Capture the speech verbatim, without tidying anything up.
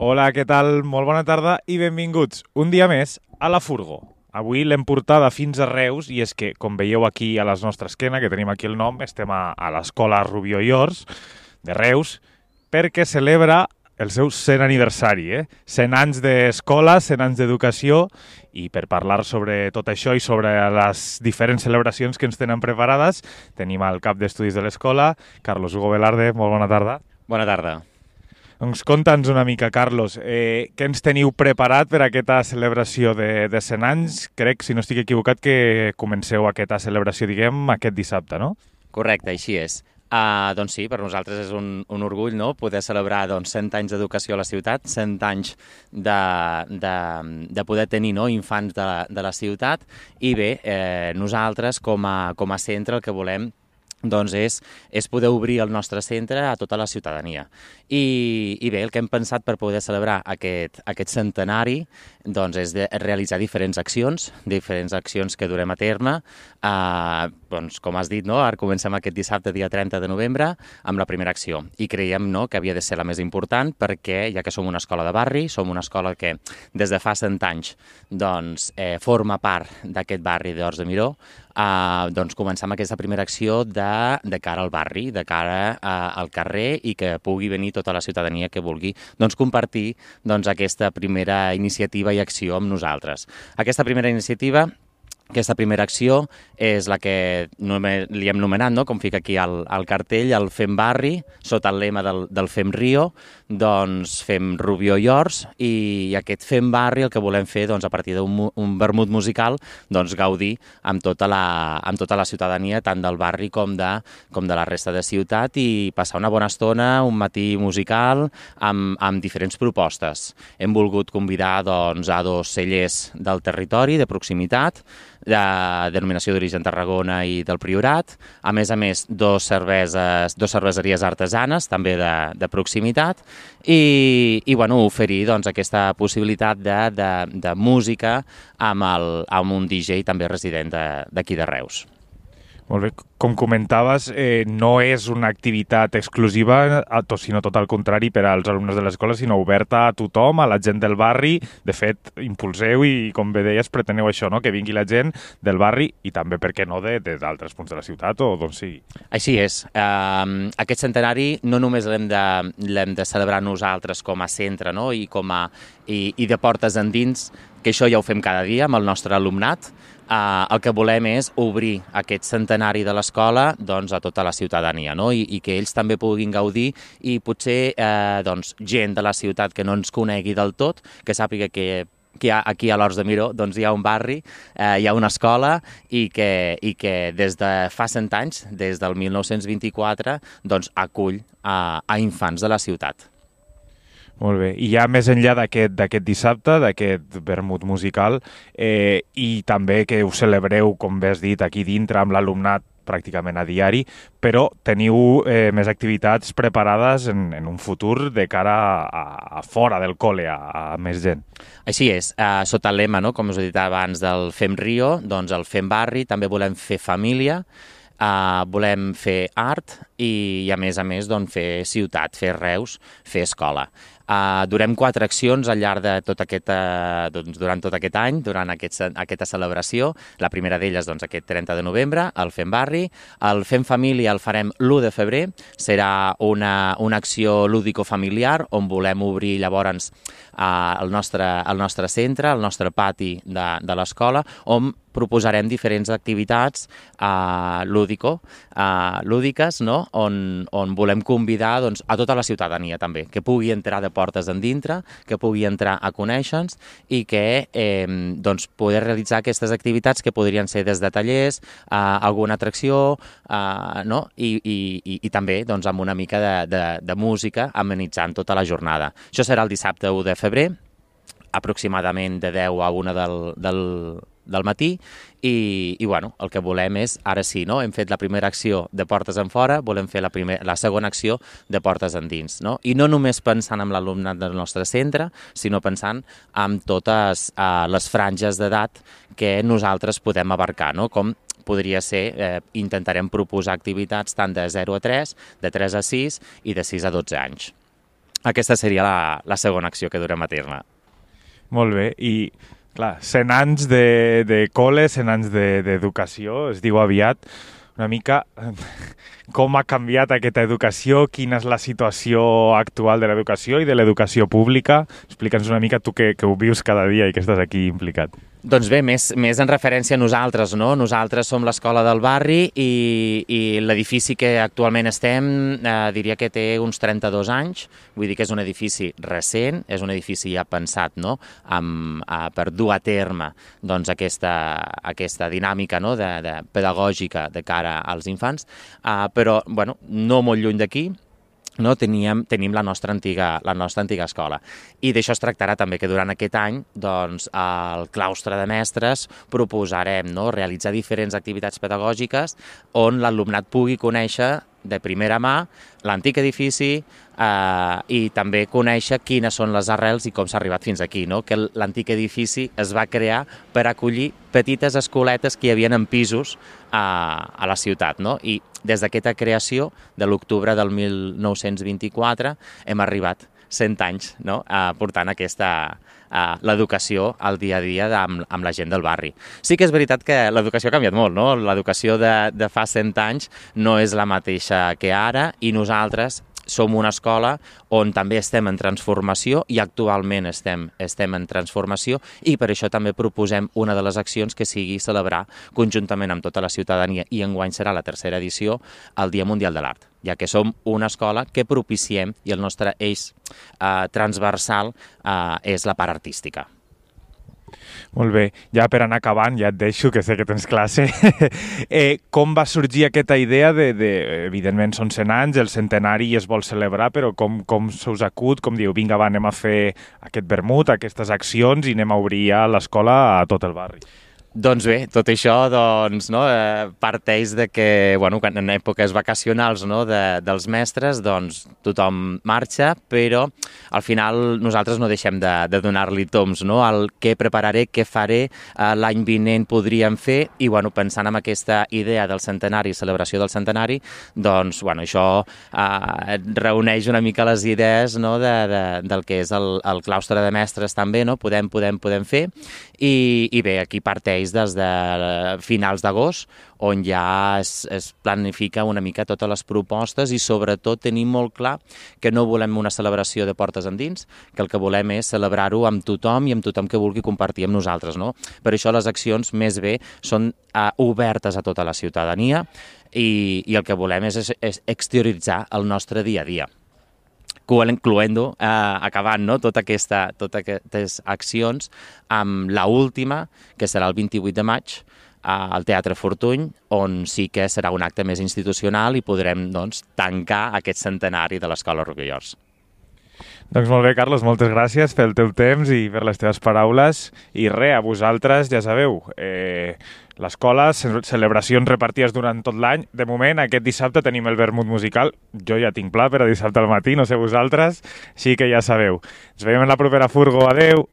Hola, què tal? Molt bona tarda i benvinguts un dia més a La Furgo. Avui l'hem portada fins a Reus i és que, com veieu aquí a les nostres esquena, que tenim aquí el nom, estem a, a l'escola Rubió i Ors de Reus perquè celebra el seu cent aniversari, eh? cent anys d'escola, cent anys d'educació, i per parlar sobre tot això i sobre les diferents celebracions que ens tenen preparades tenim el cap d'estudis de l'escola, Carlos Hugo Velarde. Molt bona tarda. Bona tarda. Doncs conta'ns una mica, Carlos, eh, què ens teniu preparat per a aquesta celebració de, de cent anys? Crec, si no estic equivocat, que comenceu aquesta celebració, diguem, aquest dissabte, no? Correcte, així és. Uh, doncs sí, per nosaltres és un, un orgull, no?, poder celebrar doncs, cent anys d'educació a la ciutat, cent anys de, de, de poder tenir, no?, infants de, de la ciutat, i bé, eh, nosaltres com a, com a centre el que volem doncs és, és poder obrir el nostre centre a tota la ciutadania. I, i bé, el que hem pensat per poder celebrar aquest, aquest centenari doncs és de realitzar diferents accions, diferents accions que durem a terme. Eh, doncs, com has dit, no? Ara comencem aquest dissabte, dia trenta de novembre, amb la primera acció. I creiem, no?, que havia de ser la més important perquè, ja que som una escola de barri, som una escola que des de fa cent anys doncs, eh, forma part d'aquest barri d'Horts de Miró, eh, doncs començar amb aquesta primera acció de, de cara al barri, de cara eh, al carrer, i que pugui venir tota la ciutadania que vulgui doncs, compartir doncs, aquesta primera iniciativa i acció amb nosaltres. Aquesta primera iniciativa, aquesta primera acció és la que li hem nomenat, no?, com fica aquí al, al cartell, el Fem Barri, sota el lema del, del Fem Rio, doncs fem Rubió i Ors, i aquest Fem Barri el que volem fer, doncs, a partir d'un un vermut musical, doncs, gaudir amb tota, la, amb tota la ciutadania, tant del barri com de, com de la resta de ciutat, i passar una bona estona, un matí musical, amb, amb diferents propostes. Hem volgut convidar doncs, a dos cellers del territori, de proximitat, de denominació d'origen Tarragona i del Priorat, a més a més dos cerveses, dos cerveseries artesanes, també de, de proximitat, i, i bueno, oferir doncs, aquesta possibilitat de, de, de música amb, el, amb un D J també resident d'aquí de, de Reus. Molt bé, com comentaves, eh, no és una activitat exclusiva, sinó tot al contrari per als alumnes de l'escola, sinó oberta a tothom, a la gent del barri. De fet, impulseu i, com bé deies, preteneu això, no?, que vingui la gent del barri i també, per què no, d'altres punts de la ciutat o d'on sigui. Així és. Uh, aquest centenari no només l'hem de, l'hem de celebrar nosaltres com a centre, no?, i, com a, i, i de portes endins, que això ja ho fem cada dia amb el nostre alumnat. Uh, el que volem és obrir aquest centenari de l'escola doncs, a tota la ciutadania, no? I, i que ells també puguin gaudir, i potser eh, doncs, gent de la ciutat que no ens conegui del tot, que sàpiga que que hi ha, aquí a l'Horts de Miró doncs, hi ha un barri, eh, hi ha una escola, i que, i que des de fa cent anys, des del mil nou-cents vint-i-quatre, doncs, acull a, a infants de la ciutat. Molt bé. I ja més enllà d'aquest dissabte, d'aquest vermut musical, eh, i també que ho celebreu, com bé has dit, aquí dintre amb l'alumnat pràcticament a diari, però teniu eh, més activitats preparades en, en un futur de cara a, a fora del col·le, a, a més gent. Així és. Uh, sota el lema, no?, com us he dit abans, del Fem Rio, doncs el Fem Barri, també volem fer família, uh, volem fer art i, i a més a més, doncs, fer ciutat, fer Reus, fer escola. Uh, durem quatre accions al llarg de tot aquest, uh, doncs, durant tot aquest any, durant aquest, aquesta celebració. La primera d'elles, doncs, aquest trenta de novembre, el Fem Barri. El Fem Família el farem l'u de febrer. Serà una, una acció lúdico-familiar on volem obrir llavors uh, el, nostre, el nostre centre, el nostre pati de, de l'escola, on proposarem diferents activitats uh, lúdico, uh, lúdiques, no?, on, on volem convidar doncs, a tota la ciutadania també, que pugui entrar de portes endintre, que pugui entrar a conèixer-nos, i que eh, doncs, poder realitzar aquestes activitats que podrien ser des de tallers, uh, alguna atracció, uh, no?, I, i, i, i també doncs, amb una mica de, de, de música amenitzant tota la jornada. Això serà el dissabte u de febrer, aproximadament de deu a una del, del, del matí, i, i bueno, el que volem és, ara sí, no? Hem fet la primera acció de portes en fora, volem fer la, primer, la segona acció de portes endins, no? I no només pensant en l'alumnat del nostre centre, sinó pensant en totes uh, les franges d'edat que nosaltres podem abarcar, no? Com podria ser, eh, intentarem proposar activitats tant de zero a tres, de tres a sis i de sis a dotze anys. aquesta seria la, la segona acció que durem a terme. Molt bé, i clar, cent anys de, de col·le, cent anys d'educació, de, es diu aviat, una mica com ha canviat aquesta educació, quina és la situació actual de l'educació i de l'educació pública. Explica'ns una mica tu que, que ho vius cada dia i que estàs aquí implicat. Doncs bé, més, més en referència a nosaltres, no? Nosaltres som l'escola del barri i, i l'edifici que actualment estem eh, diria que té uns trenta-dos anys, vull dir que és un edifici recent, és un edifici ja pensat, no? Amb, eh, per dur a terme doncs, aquesta, aquesta dinàmica, no? de, de pedagògica de cara als infants, eh, però bueno, no molt lluny d'aquí, no, teníem, tenim la nostra, antiga, la nostra antiga escola. I d'això es tractarà també que durant aquest any doncs, al claustre de mestres proposarem no, realitzar diferents activitats pedagògiques on l'alumnat pugui conèixer de primera mà l'antic edifici eh, i també conèixer quines són les arrels i com s'ha arribat fins aquí, no? Que l'antic edifici es va crear per acollir petites escoletes que hi havia en pisos a, a la ciutat, no? I des d'aquesta creació, de l'octubre del mil nou-cents vint-i-quatre, hem arribat cent anys no? eh, portant aquesta eh, l'educació al dia a dia amb, amb la gent del barri. Sí que és veritat que l'educació ha canviat molt, no? L'educació de, de fa cent anys no és la mateixa que ara i nosaltres som una escola on també estem en transformació i actualment estem, estem en transformació i per això també proposem una de les accions que sigui celebrar conjuntament amb tota la ciutadania i enguany serà la tercera edició el Dia Mundial de l'Art, ja que som una escola que propiciem i el nostre eix eh, transversal eh, és la part artística. Molt bé, ja per anar acabant, ja et deixo, que sé que tens classe. eh, com va sorgir aquesta idea de, de, evidentment són cent anys, el centenari es vol celebrar, però com, com se us acut, com diu, vinga, va, anem a fer aquest vermut, aquestes accions i anem a obrir ja l'escola a tot el barri? Doncs bé, tot això doncs, no, eh, parteix de que bueno, en èpoques vacacionals no, de, dels mestres doncs, tothom marxa, però al final nosaltres no deixem de, de donar-li toms, no, al què prepararé, què faré, eh, l'any vinent podríem fer, i bueno, pensant en aquesta idea del centenari, celebració del centenari, doncs bueno, això eh, reuneix una mica les idees no, de, de, del que és el, el claustre de mestres també, no, podem, podem, podem fer, i, i bé, aquí parteix des de finals d'agost, on ja es, es planifica una mica totes les propostes i sobretot tenim molt clar que no volem una celebració de portes endins, que el que volem és celebrar-ho amb tothom i amb tothom que vulgui compartir amb nosaltres. No? Per això les accions més bé són uh, obertes a tota la ciutadania i, i el que volem és, és exterioritzar el nostre dia a dia. Incloent-ho, eh, acabant no? Tota aquesta, totes aquestes accions amb l'última, que serà el vint-i-vuit de maig, al Teatre Fortuny, on sí que serà un acte més institucional i podrem doncs, tancar aquest centenari de l'Escola Rovira i Ors. Doncs molt bé, Carlos, moltes gràcies pel teu temps i per les teves paraules. I res, a vosaltres, ja sabeu, eh, l'escola, celebracions repartides durant tot l'any. De moment, aquest dissabte tenim el vermut musical. Jo ja tinc pla per a dissabte al matí, no sé vosaltres, així que ja sabeu. Ens veiem en la propera furgo. Adeu!